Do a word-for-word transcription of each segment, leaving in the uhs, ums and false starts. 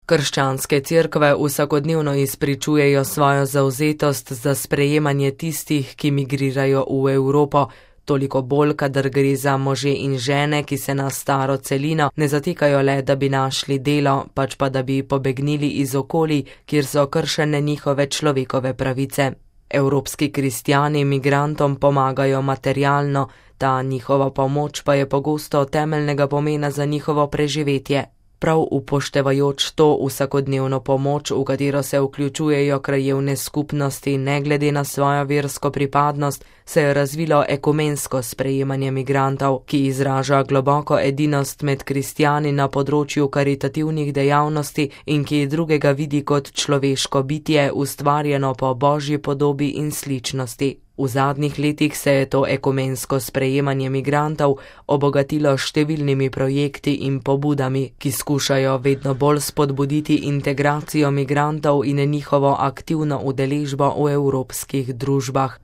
Krščanske cerkve vsakodnevno izpričujejo svojo zavzetost za sprejemanje tistih, ki migrirajo v Evropo, toliko bolj, kadar gre za može in žene, ki se na staro celino ne zatekajo le, da bi našli delo, pač pa da bi pobegnili iz okolij, kjer so kršene njihove človekove pravice. Evropski kristjani migrantom pomagajo materialno, ta njihova pomoč pa je pogosto temeljnega pomena za njihovo preživetje. Prav upoštevajoč to vsakodnevno pomoč, v katero se vključujejo krajevne skupnosti ne glede na svojo versko pripadnost, se je razvilo ekumensko sprejemanje migrantov, ki izraža globoko edinost med kristjani na področju karitativnih dejavnosti in ki drugega vidi kot človeško bitje, ustvarjeno po božji podobi in sličnosti. V zadnjih letih se je to ekumensko sprejemanje migrantov obogatilo s številnimi projekti in pobudami, ki skušajo vedno bolj spodbuditi integracijo migrantov in njihovo aktivno udeležbo v evropskih družbah.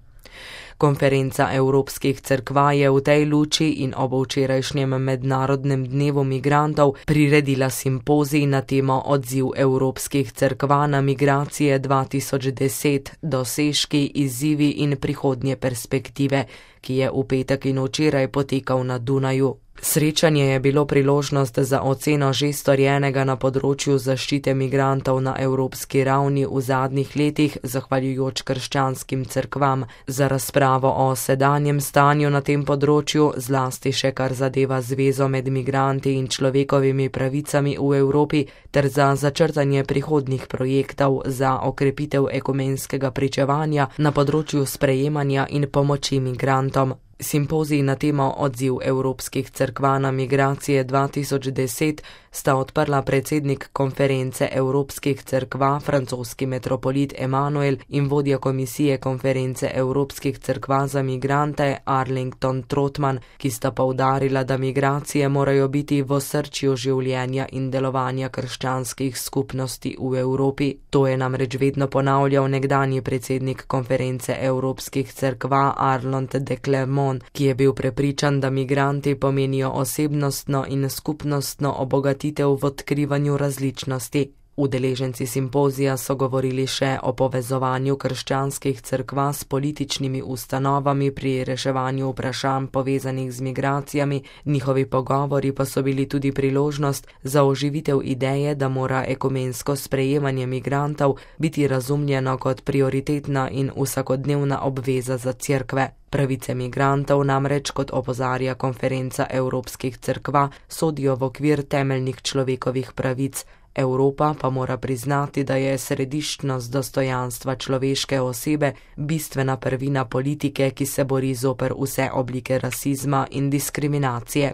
Konferenca Evropskih cerkva je v tej luči in ob včerajšnjem mednarodnem dnevu migrantov priredila simpozij na temo Odziv Evropskih cerkva na migracije dva tisoč deset, dosežki, izzivi in prihodnje perspektive, ki je v petek in včeraj potekal na Dunaju. Srečanje je bilo priložnost za oceno že storjenega na področju zaščite migrantov na evropski ravni v zadnjih letih, zahvaljujoč krščanskim cerkvam, za razpravo o sedanjem stanju na tem področju, zlasti še kar zadeva zvezo med migranti in človekovimi pravicami v Evropi, ter za začrtanje prihodnjih projektov za okrepitev ekumenskega pričevanja na področju sprejemanja in pomoči migrantom. Simpozij na temo Odziv Evropskih cerkva na migracije dva tisoč deset sta odprla predsednik konference Evropskih cerkva, francoski metropolit Emanuel in vodja komisije konference Evropskih cerkva za migrante Arlington Trotman, ki sta poudarila, da migracije morajo biti v osrčju življenja in delovanja krščanskih skupnosti v Evropi. To je namreč vedno ponavljal nekdanji predsednik konference Evropskih cerkva Arnold de Clermont, ki je bil prepričan, da migranti pomenijo osebnostno in skupnostno obogatitev v odkrivanju različnosti. Udeleženci simpozija so govorili še o povezovanju krščanskih cerkva s političnimi ustanovami pri reševanju vprašanj povezanih z migracijami, njihovi pogovori pa so bili tudi priložnost za oživitev ideje, da mora ekumensko sprejemanje migrantov biti razumljeno kot prioritetna in vsakodnevna obveza za cerkve. Pravice migrantov namreč, kot opozarja konferenca Evropskih cerkva, sodijo v okvir temeljnih človekovih pravic. Evropa pa mora priznati, da je središčnost dostojanstva človeške osebe bistvena prvina politike, ki se bori zoper vse oblike rasizma in diskriminacije.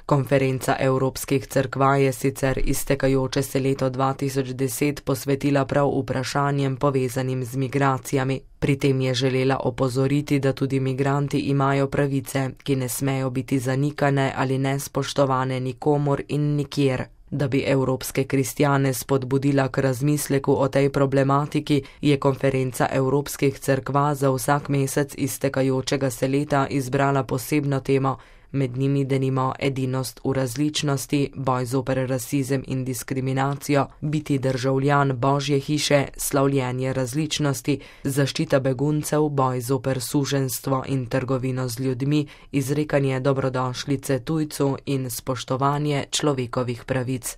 Konferenca Evropskih cerkva je sicer iztekajoče se leto dva tisoč deset posvetila prav vprašanjem povezanim z migracijami. Pri tem je želela opozoriti, da tudi migranti imajo pravice, ki ne smejo biti zanikane ali nespoštovane nikomur in nikjer. Da bi evropske kristjane spodbudila k razmisleku o tej problematiki, je konferenca Evropskih cerkva za vsak mesec iztekajočega se leta izbrala posebno temo, med njimi denimo edinost v različnosti, boj zoper rasizem in diskriminacijo, biti državljan Božje hiše, slavljenje različnosti, zaščita beguncev, boj zoper suženjstvo in trgovino z ljudmi, izrekanje dobrodošlice tujcu in spoštovanje človekovih pravic.